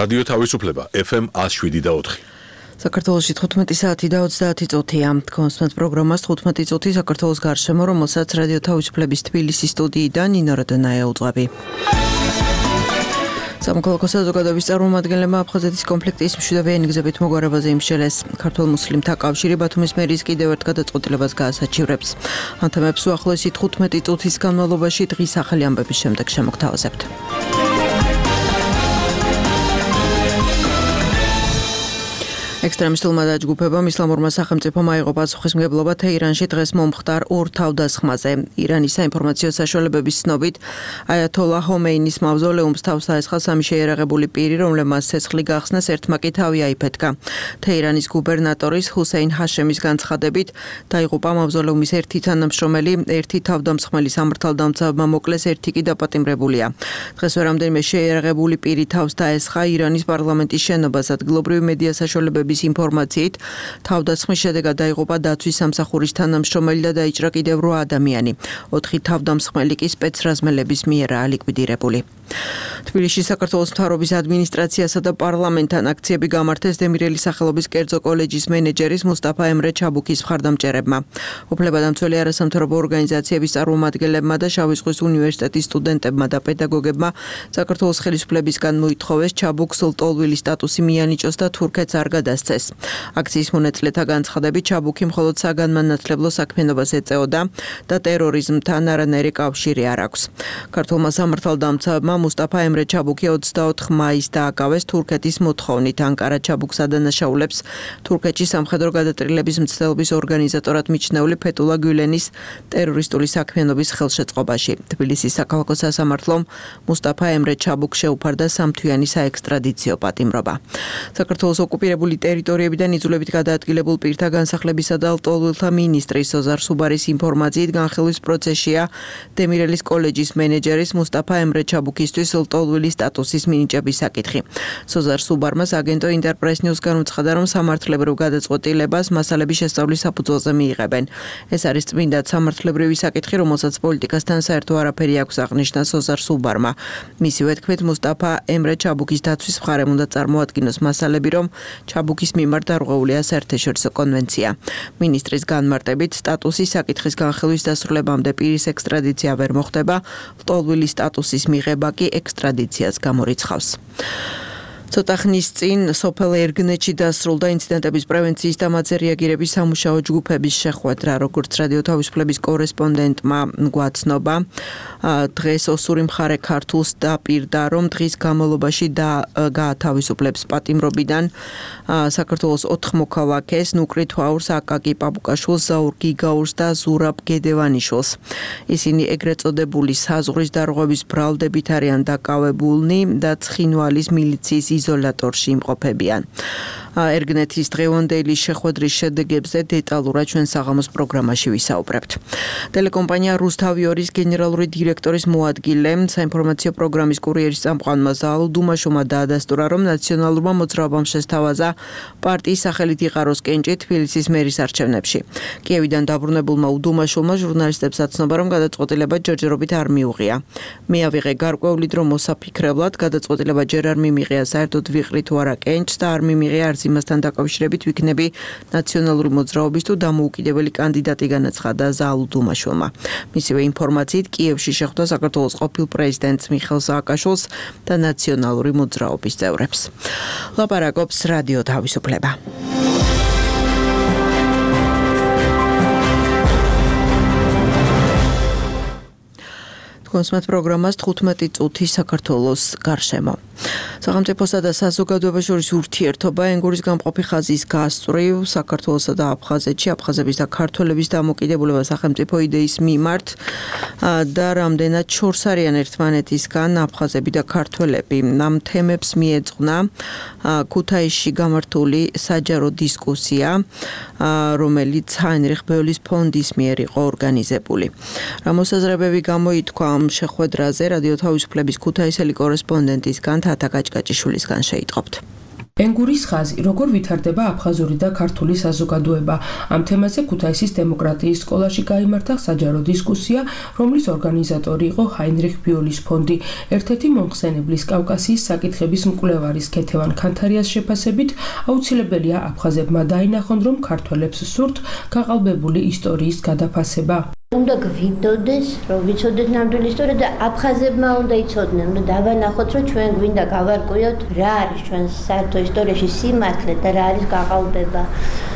რადიო თავისუფლება FM 107.4. საქართველოში 15 საათი და 30 წუთია. კონსტანტ პროგრამას 15 წუთი საქართველოს გარშემო, რომელსაც რადიო თავისუფლების თბილისის სტუდიიდან ნინო როდონაია უძღვები. სამოქალაქო საზოგადოების წარმომადგენლებმა აფხაზეთის კონფლიქტის მშვიდობიანი გზებით მოგვარებაზე იმსჯელეს. ქართულ მუსლიმთა კავშირი ბათუმის მერის კიდევ ერთ გადაწყვეტილებას გაასაჩივრებს. ამ თემებს უახლოესი 15 წუთის განმავლობაში დღის ახალი ამბების შემდეგ შემოგთავაზებთ. ექსტრემისტულმა დაჯგუფებამ ისლამურმა სახელმწიფომ აიღო პასუხისმგებლობა თეირანში დღეს მომხდარ ორ თავდასხმაზე. ირანის საინფორმაციო საშუალებების ცნობით, აიათოლა ჰომეინის მავზოლეუმს თავს დაესხა სამი შეიარაღებული პირი, რომლებმაც ცეცხლი გახსნეს, ერთმა კი თავი აიფეთქა. თეირანის გუბერნატორის ჰუსეინ ჰაშემის განცხადებით, დაიღუპა მავზოლეუმის ერთი თანამშრომელი, ერთი თავდამსხმელი სამართალდამცავებმა მოკლეს, ერთი კი დაპატიმრებულია. დღეს რამდენიმე შეიარაღებული პირი თავს დაესხა ირანის პარლამენტის შენობას. ადგილობრივი მედია საშუალებების ინფორმაციით, თავდასხმის შედეგად დაიღუპა დაცვის სამსახურის თანამშრომელი და დაიჭრა კიდევ 8 ადამიანი. 4 თავდამსხმელი კი სპეცრაზმელების მიერაა ლიკვიდირებული. თბილისში საქართველოს მთავრობის ადმინისტრაციასა და პარლამენტთან აქციები გამართეს დემირელის სახელობის კერძო კოლეჯის მენეჯერის მუსტაფა ემრე ჩაბუქის მხარდამჭერებმა. უფლებადამცველი არასამთავრობო ორგანიზაციების წარმომადგენლებმა და შავი ზღვის უნივერსიტეტის სტუდენტებმა და პედაგოგებმა საქართველოს ხელისუფლებისგან მოითხოვეს ჩაბუქს ლტოლვილის სტატუსი მიანიჭოს და თურქეთს არ გადასცეს. აქციის მონაწილეთა განცხადებით, ჩაბუქი მხოლოდ საგანმანათლებლო საქმიანობას ეწეოდა და ტერორიზმთან არანაირი კავშირი არ აქვს. ქართულმა სამართალდამცავებმა მუსტაფა ემრე ჩაბუქი 24 მაისს დააკავეს თურქეთის მოთხოვნით. ანკარა ჩაბუქს ადანაშაულებს თურქეთში სამხედრო გადატრილების მცდელობის ორგანიზატორად მიჩნეული ფეთულა გულენის ტერორისტული საქმიანობის ხელშეწყობაში. თბილისის საქალაქო სასამართლომ მუსტაფა ემრე ჩაბუქს შეუფარდა 3 თვიანი საექსტრადიციო პატიმრობა. საქართველოს ოკუპირებული ტერიტორიებიდან იძულებით გადაადგილებულ პირთა განსახლებისა და ლტოლვილთა მინისტრის სოზარ სუბარის ინფორმაციით განხილვის პროცესია დემირელის კოლეჯის მენეჯერის მუსტაფა ემრე ჩაბუქისთვის ლტოლვილის სტატუსის მინიჭების საკითხი. სოზარ სუბარმა აგენტო ინტერპრეს ნიუს განუცხადა, რომ სამართლებრივ გადაწყვეტილებას მასალების შესწავლის საფუძველზე მიიღებენ. ეს არის წმინდად სამართლებრივი საკითხი, რომელსაც პოლიტიკასთან საერთო არაფერი აქვს, აღნიშნა სოზარ სუბარმა. მისივე თქმით, მუსტაფა ემრე ჩაბუქის დაცვის მხარემ უნდა წარმოადგინოს მასალები, რომ ჩაბუქის მიმართ დარღვეულია საერთაშორისო კონვენცია. მინისტრის განმარტებით, სტატუსის საკითხის განხილვის დასრულებამდე პირის ექსტრადიცია ვერ მოხდება, ლტოლვილის სტატუსის მიღება კი ექსტრადიციას გამორიცხავს. ცოტა ხნის წინ სოფელ ერგნეთში დასრულდა ინციდენტების პრევენციის და მათზე რეაგირების სამუშაო ჯგუფების შეხვედრა, როგორც რადიო თავისუფლების კორესპონდენტმა გვაცნობა. დღეს ოსური მხარე ქართულს დაპირდა, რომ დღის განმავლობაში გაათავისუფლებს პატიმრობიდან საქართველოს 4 მოქალაქეს, ნუკრი თვაურს, აკაკი პაპუკაშვილს, ზაურ გიგაურს და ზურაბ გედევანიშვილს. ისინი ეგრეთ წოდებული საზღვრის დარღვევის ბრალდებით არიან დაკავებულნი და ცხინვალის მილიციის იზოლატორში იმყოფებიან. ერგნეთის დღევანდელი შეხვედრის შედეგებზე დეტალურად ჩვენ საღამოს პროგრამაში ვისაუბრებთ. ტელეკომპანია რუსთავიორის გენერალური დირექტორის მოადგილე, საინფორმაციო პროგრამის კურიერის წამყვანმა ზაალ დუმაშოვმა დაადასტურა, რომ ნაციონალურმა მოძრაობამ შესთავაზა პარტიის სახელით იყაროს კენჭი თბილისის მერის არჩევნებში. კიევიდან დაბრუნებულმა უდუმაშოვმა ჟურნალისტებს აცნობა, რომ გადაწყვეტილება ჯერჯერობით არ მიუღია. მე ავიღე გარკვევლით, რომ მოსაფიქრებლად გადაწყვეტილება ჯერ არ მიმიღია, საერთოდ ვიყრი თუ არა კენჭს და არ მიმიღია არც იმასთან დაკავშირებით ვიქნები ნაციონალური მოძრაობის თუ დამოუკიდებელი კანდიდატი, განაცხადა ზაალ დუმაშოვმა. მისივე ინფორმაციით, კიევში შეხვდა საქართველოს ყოფილ პრეზიდენტს მიხეილ სააკაშვილს და ნაციონალური მოძრაობის წევრებს. ლაპარაკობს რადიო თავისუფლება. კონსმეთ პროგრამას 15 წუთი საქართველოს გარშემო. სახელმწიფოსა და საზოგადოებას შორის ურთიერთობა ენგურის გამყოფი ხაზის გასწვრივ საქართველოსა და აფხაზეთში აფხაზების და ქართველების დამოკიდებულება სახელმწიფო იდეის მიმართ და რამდენად შორს არიან ერთმანეთისგან აფხაზები და ქართველები. ამ თემებს მიეძღვნა ქუთაისში გამართული საჯარო დისკუსია, რომელიც ჰაინრიხ ბევლის ფონდის მიერ იყო ორგანიზებული. რა მოსაზრებები გამოითქვა ამ შეხვედრაზე რადიო თავისუფლების ქუთაისელი კორესპონდენტისგან თათა გაჭგაჭიშვილისგან შეიტყობთ. ენგურის ხაზი, როგორ ვითარდება აფხაზური და ქართული საზოგადოება. ამ თემაზე ქუთაისის დემოკრატიის სკოლაში გაიმართა საჯარო დისკუსია, რომლის ორგანიზატორი იყო ჰაინრიხ ბიოლის ფონდი. ერთ-ერთი მომხსენებლის კავკასიის საკითხების მკვლევარის ქეთევან ქანთარიას შეფასებით, აუცილებელია აფხაზებმა დაინახონ, რომ ქართველებს სურთ გაყალბებული ისტორიის გადაფასება. უნდა გვინდოდეს, რომ ვიცოდეთ ნამდვილი ისტორია და აფხაზებმა უნდა იცოდნენ, უნდა დავანახოთ, რომ ჩვენ გვინდა გავარკვიოთ, რა არის ჩვენ საერთო ისტორიაში სიმართლე და რა არის გაყალბება.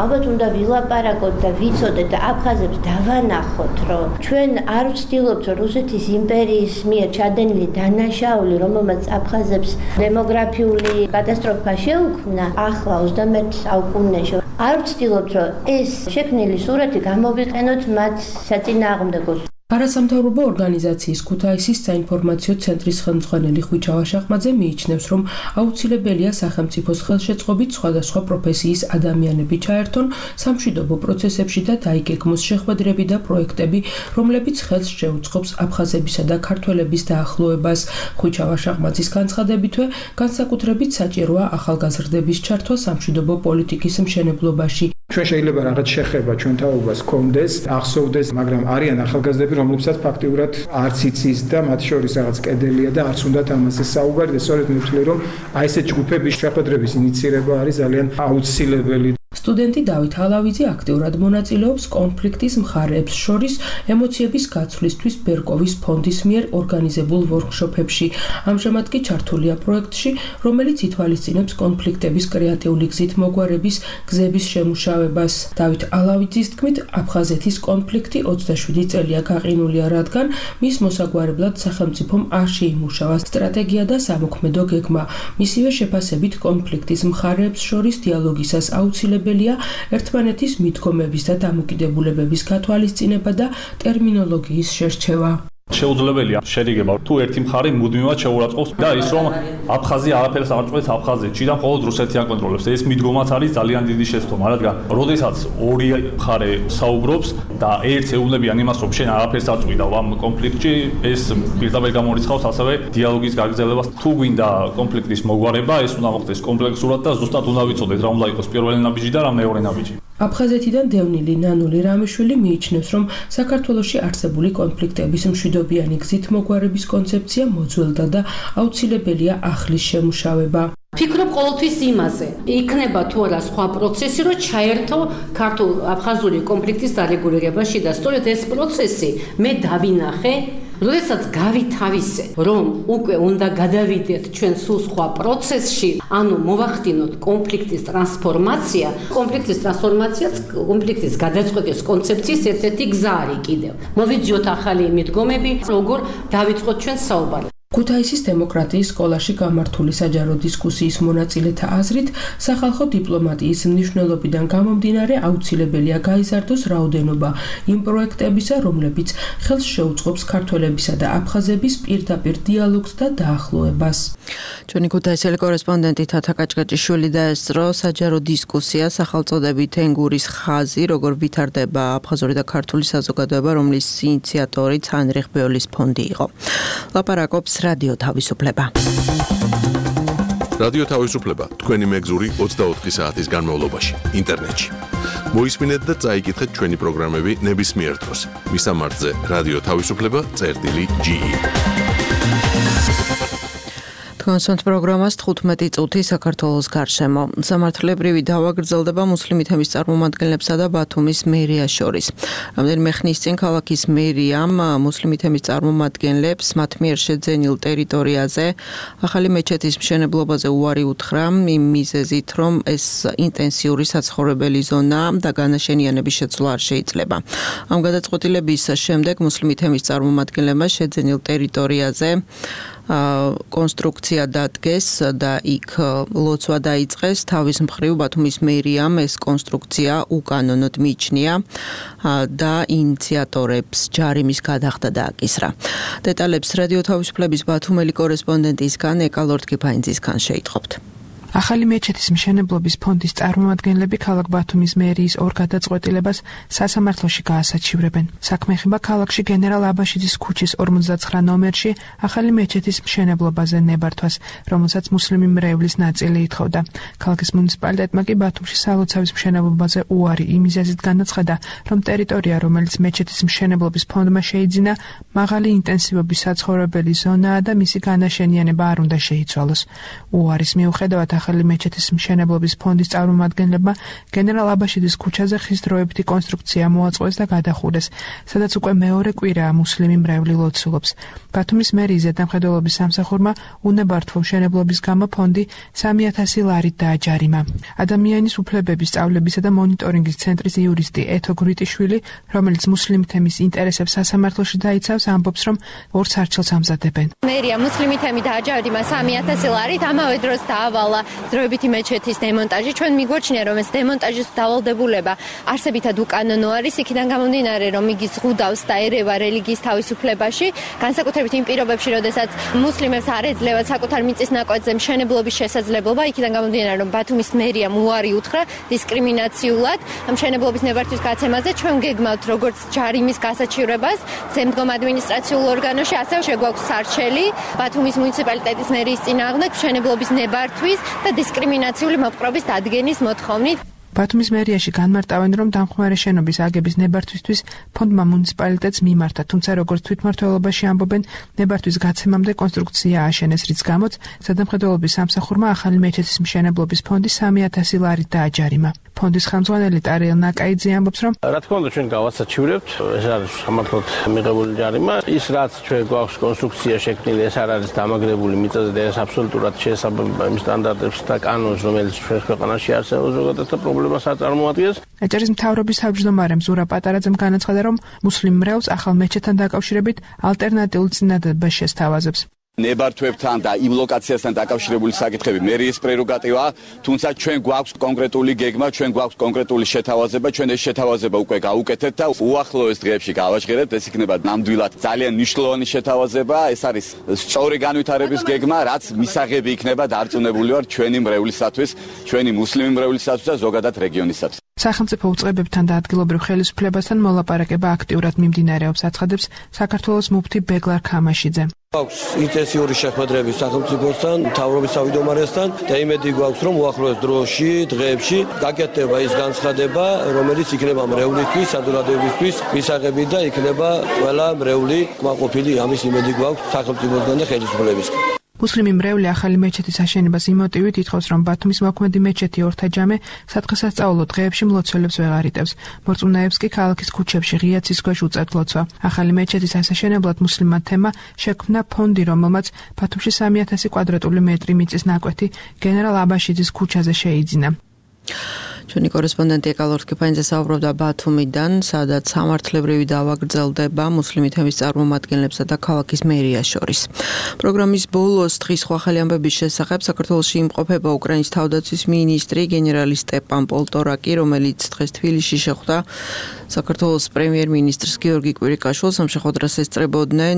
ალბათ უნდა ვილაპარაკოთ და ვიცოდეთ და აფხაზებს დავანახოთ, რომ ჩვენ არ ვცდილობთ, რომ რუსეთის იმპერიის მიერ ჩადენილი დანაშაული, რომელმაც აფხაზებს დემოგრაფიული კატასტროფა შეუქმნა, ახლა 21 საუკუნეში არ ვცდილობთ, რომ ეს შექმნილი სურათი გამოვიყენოთ მათ საწინააღმდეგოდ. არასამთავრობო ორგანიზაციის ქუთაისის საინფორმაციო ცენტრის ხელმძღვანელი ხვიჩა ვაშაყმაძე მიიჩნევს, რომ აუცილებელია სახელმწიფოს ხელშეწყობით სხვადასხვა პროფესიის ადამიანები ჩაერთონ სამშვიდობო პროცესებში და დაიგეგმოს შეხვედრები და პროექტები, რომლებიც ხელს შეუწყობს აფხაზებისა და ქართველების დაახლოებას. ხვიჩა ვაშაყმაძის განცხადებითვე, განსაკუთრებით საჭიროა ახალგაზრდების ჩართვა სამშვიდობო პოლიტიკის მშენებლობაში. ჩვენ შეიძლება რაღაც შეხება ჩვენ თაობას გქონდეს, ახსოვდეს, მაგრამ არიან ახალგაზრდები, რომლებსაც ფაქტიურად არც იცის და მათ შორის რაღაც კედელია და არც უნდათ ამაზე საუბარი და სწორედ მე ვთვლი, რომ აი ეს ჯგუფების შეხვედრების ინიცირება არის ძალიან აუცილებელი. სტუდენტი დავით ალავიძე აქტიურად მონაწილეობს კონფლიქტის მხარეებს შორის ემოციების გაცვლისთვის ბერკოვის ფონდის მიერ ორგანიზებულ ვორქშოპებში. ამჟამად კი ჩართულია პროექტში, რომელიც ითვალისწინებს კონფლიქტების კრეატიული გზით მოგვარების გზების შემუშავებას. დავით ალავიძის თქმით, აფხაზეთის კონფლიქტი 27 წელია გაყინულია, რადგან მის მოსაგვარებლად სახელმწიფომ არ შეიმუშავა სტრატეგია და სამოქმედო გეგმა. მისივე შეფასებით კონფლიქტის მხარეებს შორის დიალოგისას აუცილებელია ერთმანეთის მიდგომების და დამოკიდებულებების გათვალისწინება და ტერმინოლოგიის შერჩევა. შეუძლებელია შერიგება თუ ერთი მხარე მუდმივად შეურაცხყოფს და ის რომ აფხაზია არაფერს არ წყვეტს აფხაზეთში და მხოლოდ რუსეთი აკონტროლებს. ეს მიდგომაც არის ძალიან დიდი შეცდომა, რადგან როდესაც ორი მხარე საუბრობს და ერთს ეუბნებიან იმას, რომ შენ არაფერს არ წყვიდა ამ კონფლიქტში, ეს პირდაპირ გამორიცხავს ასევე დიალოგის გაგრძელებას. თუ გვინდა კონფლიქტის მოგვარება, ეს უნდა მოხდეს კომპლექსურად და ზუსტად უნდა ვიცოდეთ რა უნდა იყოს პირველი ნაბიჯი და რა მეორე ნაბიჯი. აფხაზეთიდან დევნილი ნანული რამიშვილი მიიჩნევს, რომ საქართველოში არსებული კონფლიქტების მშვიდობიანი გზით მოგვარების კონცეფცია მოძველდა და აუცილებელია ახლის შემუშავება. ფიქრობ ყოველთვის იმაზე, იქნება თუ არა სხვა პროცესი, რომ ჩაერთო ქართულ-აფხაზური კონფლიქტის დარეგულირებაში და სწორედ ეს პროცესი მე დავინახე, როდესაც გავითავისე, რომ უკვე უნდა გადავიდეთ ჩვენ სულ სხვა პროცესში, ანუ მოვახდინოთ კონფლიქტის ტრანსფორმაცია, კონფლიქტის გადაწყვეტის კონცეფციის ერთ-ერთი გზა არის კიდევ. მოვიძიოთ ახალი მიდგომები, როგორ დავიწყოთ ჩვენ საუბარი. ქუთაისის დემოკრატიის სკოლაში გამართული საჯარო დისკუსიის მონაწილეთა აზრით, სახალხო დიპლომატიის მნიშვნელობიდან გამომდინარე აუცილებელია გაიზარდოს რაოდენობა იმ პროექტებისა, რომლებიც ხელს შეუწყობს ქართველებისა და აფხაზების პირდაპირ დიალოგს და დაახლოებას. ჩვენი ქუთაისელი კორესპონდენტი თათა კაჭკაჭიშვილი დაესწრო საჯარო დისკუსია სახელწოდებით ენგურის ხაზი, როგორ ვითარდება აფხაზური და ქართული საზოგადოება, რომლის ინიციატორიც ჰაინრიხ ბიოლის ფონდი იყო. ლაპარაკობს რადიო თავისუფლება. რადიო თავისუფლება თქვენი მეგზური 24 საათის განმავლობაში ინტერნეტში. მოისმინეთ და წაიკითხეთ ჩვენი პროგრამები ნებისმიერ დროს. მისამართზე რადიო თავისუფლება.ge. კონსონტ პროგრამას 15 წუთი საქართველოს გარშემო. სამართლებრივი დავა გრძელდება მუსლიმი თემის წარმომადგენლებსა და ბათუმის მერიას შორის. რამდენიმე ხნის წინ ქალაქის მერიამ მუსლიმი თემის წარმომადგენლებს მათ მიერ შეძენილ ტერიტორიაზე ახალი მეჩეთის მშენებლობაზე უარი უთხრა იმ მიზეზით, რომ ეს ინტენსიური საცხოვრებელი ზონა და განაშენიანების შეცვლა არ შეიძლება. ამ გადაწყვეტილების შემდეგ მუსლიმი თემის წარმომადგენლებმა შეძენილ ტერიტორიაზე კონსტრუქცია დადგეს და იქ ლოცვა დაიწყეს. თავის მხრივ ბათუმის მერიამ ეს კონსტრუქცია უკანონოდ მიიჩნია და ინიციატორებს ჯარიმის გადახდა დააკისრა. დეტალებს რადიო თავისუფლების ბათუმელი კორესპონდენტისგან ეკალორდ კიფაინძისგან შეიტყობთ. ახალი მეჩეთის მშენებლობის ფონდის წარმომადგენლები ქალაქ ბათუმის მერიის ორ გადაწყვეტილებას სასამართლოში გაასაჩივრებენ. საქმე ეხება ქალაქში გენერალ აბაშიძის ქუჩის 59 ნომერში ახალი მეჩეთის მშენებლობაზე ნებართვას, რომელსაც მუსლიმი მრევლის ნაწილი ითხოვდა. ქალაქის მუნიციპალიტეტმა კი ბათუმში სალოცავის მშენებლობაზე უარი იმ მიზეზით განაცხადა, რომ ტერიტორია, რომელიც მეჩეთის მშენებლობის ფონდმა შეიძინა, მაღალი ინტენსივობის საცხოვრებელი ზონაა და მისი განაშენიანება არ უნდა შეიცვალოს. უარის მიუხედავად ახალი მეჩეთის მშენებლობის ფონდის წარმომადგენლებმა გენერალ აბაშიძის ქუჩაზე ხის დროებითი კონსტრუქცია მოაწყვეს და გადახურეს, სადაც უკვე მეორე კვირაა მუსლიმი მრევლი ლოცულობს. ბათუმის მერიის ზედამხედველობის სამსახურმა უნებართვო მშენებლობის გამო ფონდი 3000 ლარით დააჯარიმა. ადამიანის უფლებების სწავლებისა და მონიტორინგის ცენტრის იურისტი ეთო გრიტიშვილი, რომელიც მუსლიმ თემის ინტერესებს სასამართლოში დაიცავს, ამბობს, რომ ორ სარჩელს ამზადებენ. მერია მუსლიმი თემი დააჯარიმა 3000 ლარით, ამავე დროს დაავალა დროებითი მეჩეთის დემონტაჟი. ჩვენ მიგვაჩნია, რომ ეს დემონტაჟის დავალდებულება არსებითად უკანონო არის, იქიდან გამომდინარე, რომ იგი ზღუდავს და ერევა რელიგიის თავისუფლებაში, განსაკუთრებით იმ პირობებში, როდესაც მუსლიმებს არ ეძლევათ საკუთარ მიწის ნაკვეთზე მშენებლობის შესაძლებლობა, იქიდან გამომდინარე, რომ ბათუმის მერიამ უარი უთხრა დისკრიმინაციულად მშენებლობის ნებართვის გაცემაზე. ჩვენ გეგმავთ როგორც ჯარიმის გასაჩივრებას ზემდგომ ადმინისტრაციულ ორგანოში, ასევე შეგვაქვს სარჩელი ბათუმის მუნიციპალიტეტის მერიის წინააღმდეგ მშენებლობის ნებართვის და დისკრიმინაციული მოპყრობის დადგენის მოთხოვნით. ბათუმის მერიაში განმარტავენ, რომ დამხმარე შენობის აგების ნებართვისთვის ფონდმა მუნიციპალიტეტს მიმართა, თუმცა როგორც თვითმმართველობაში ამბობენ, ნებართვის გაცემამდე კონსტრუქცია ააშენეს, რის გამოც ზედამხედველობის სამსახურმა ახალი მეჩეთის მშენებლობის ფონდი 3000 ლარით დააჯარიმა. ფონდის ხელმძღვანელი ტარიელ ნაკაიძე ამბობს, რომ რა თქმა უნდა ჩვენ გავასაჩივრებთ, ეს არის სამართლოდ მიღებული ჯარიმა. ის რაც ჩვენ გვაქვს კონსტრუქცია შექმნილი, ეს არ არის დამაგრებული მიწაზე და ეს აბსოლუტურად შეესაბამება იმ სტანდარტებს და კანონს, რომელიც ჩვენ ქვეყანაში არსებობს ზოგადად და პრობლემას არ წარმოადგენს. ეჭერის მთავრობის თავმჯდომარე მზურა პატარაძემ განაცხადა, რომ მუსლიმ მრევლს ახალ მეჩეთთან დაკავშირებით ალტერნატიულ წინადადებას შესთავაზებს. ნებართვებთან და იმ ლოკაციასთან დაკავშირებული საკითხები მერიის პრეროგატივაა, თუმცა ჩვენ გვაქვს კონკრეტული გეგმა, ჩვენ გვაქვს კონკრეტული შეთავაზება, ჩვენ ეს შეთავაზება უკვე გავუკეთეთ და უახლოეს დღეებში გავაჟღერებთ, ეს იქნება ნამდვილად ძალიან მნიშვნელოვანი შეთავაზება, ეს არის სწორი განვითარების გეგმა, რაც მისაღები იქნება დარწმუნებული ვარ ჩვენი მრევლისათვის, ჩვენი მუსლიმი მრევლისათვის და ზოგადად რეგიონისათვის. სახელმწიფო უწყებებთან და ადგილობრივ ხელისუფლებასთან მოლაპარაკება აქტიურად მიმდინარეობს, აცხადებს საქართველოს მუფთი ბეგლარ ქამაშიძე. გვაქვს ინტენსიური შეხვედრები სახელმწიფოსთან, მთავრობის თავმჯდომარესთან და იმედი გვაქვს, რომ უახლოეს დროში, დღეებში გაკეთდება ის განცხადება, რომელიც იქნება მრევლისთვის, საზოგადოებისთვის მისაღები და იქნება ყველა მრევლი კმაყოფილი, ამის იმედი გვაქვს სახელმწიფოსგან და ხელისუფლებისგან. მუსლიმი მრევლი ახალი მეჩეთის აშენებას იმ მოტივით ითხოვს, რომ ბათუმის მოქმედი მეჩეთი ორთაჯამე სათხესასწაულო დღეებში მლოცველებს ვეღარ იტევს. მორწმუნეებს კი ქალაქის ქუჩებში ღია ცის ქვეშ უწევთ ლოცვა. ახალი მეჩეთის ასაშენებლად მუსლიმმა თემმა შექმნა ფონდი, რომელმაც ბათუმში 3000 კვადრატული მეტრი მიწის ნაკვეთი გენერალ აბაშიძის ქუჩაზე შეიძინა. ჩვენი კორესპონდენტი ეკალორ კიფანიძე საუბრობდა ბათუმიდან, სადაც სამართლებრივი დავა გრძელდება მუსლიმი თემის წარმომადგენლებსა და ქალაქის მერიას შორის. პროგრამის ბოლოს დღის სხვა ახალი ამბების შესახებ საქართველოში იმყოფება უკრაინის თავდაცვის მინისტრი გენერალი სტეპან პოლტორაკი, რომელიც დღეს თბილისში შეხვდა საქართველოს პრემიერ-მინისტრს გიორგი კვირიკაშვილს. ამ შეხვედრას ესწრებოდნენ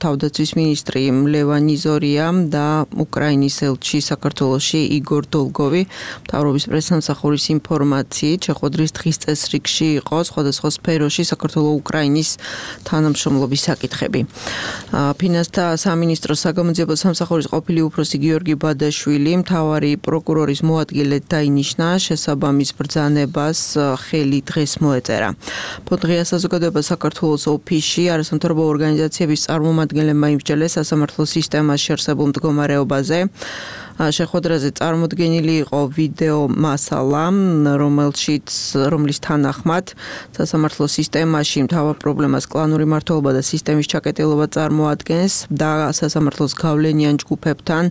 თავდაცვის მინისტრი ლევან იზორია და უკრაინის ელჩი საქართველოში იგორ დოლგოვი. მთავრობის პრესსამსახურის ინფორმაციით შეხვედრის დღის წესრიგში იყო სხვადასხვა სფეროში საქართველო-უკრაინის თანამშრომლობის საკითხები. ფინანსთა სამინისტროს საგამოძიებო სამსახურის ყოფილი უფროსი გიორგი ბადაშვილი მთავარი პროკურორის მოადგილედ დაინიშნა, შესაბამის ბრძანებას ხელი დღეს მოეწერა. ფონდღია საზოგადოება საქართველოს ოფისში არასამთავრობო ორგანიზაციების წარმომადგენლებმა იმსჯელეს სასამართლო სისტემაში არსებულ მდგომარეობაზე. შეხვედრაზე წარმოდგენილი იყო ვიდეო მასალა, რომლის თანახმად სასამართლო სისტემაში მთავარ პრობლემას კლანური მმართველობა და სისტემის ჩაკეტილობა წარმოადგენს და სასამართლოს გავლენიან ჯგუფებთან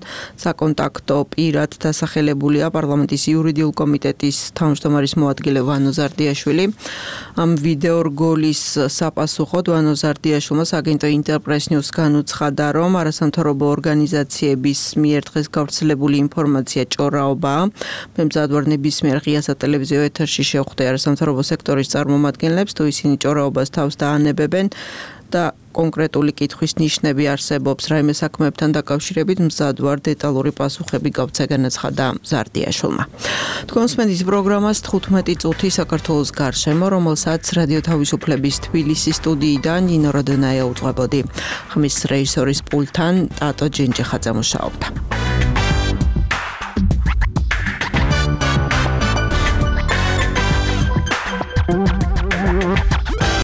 საკონტაქტო პირად დასახელებულია პარლამენტის იურიდიულ კომიტეტის თავმჯდომარის მოადგილე ვანო ზარდიაშვილი. ამ ვიდეო რგოლის საპასუხოდ ვანო ზარდიაშვილმა აგენტო ინტერპრეს ნიუს განუცხადა, რომ არასამთავრობო ორგანიზაციების მიერ დღეს გავრცელებული ინფორმაცია ჭორაობაა. მემზადვარ ნებისმიერ ღია სატელევიზიო ეთერში შეხვდა არასამთავრობო სექტორის წარმომადგენლებს, თუ ისინი ჭორაობას თავს დაანებებენ და კონკრეტული კითხვის ნიშნები არსებობს რაიმე საქმეებთან დაკავშირებით მზად ვარ დეტალური პასუხები გავცე განაცხადა ზარდიაშვილმა. თქვენს მედიის პროგრამას 15 წუთი საქართველოს გარშემო, რომელსაც რადიო თავისუფლების თბილისის სტუდიიდან ნინო როდონაია უძღვებოდი. ხმის რეჟისორის პულტთან ტატო ჯენჯიხაძე მუშაობდა.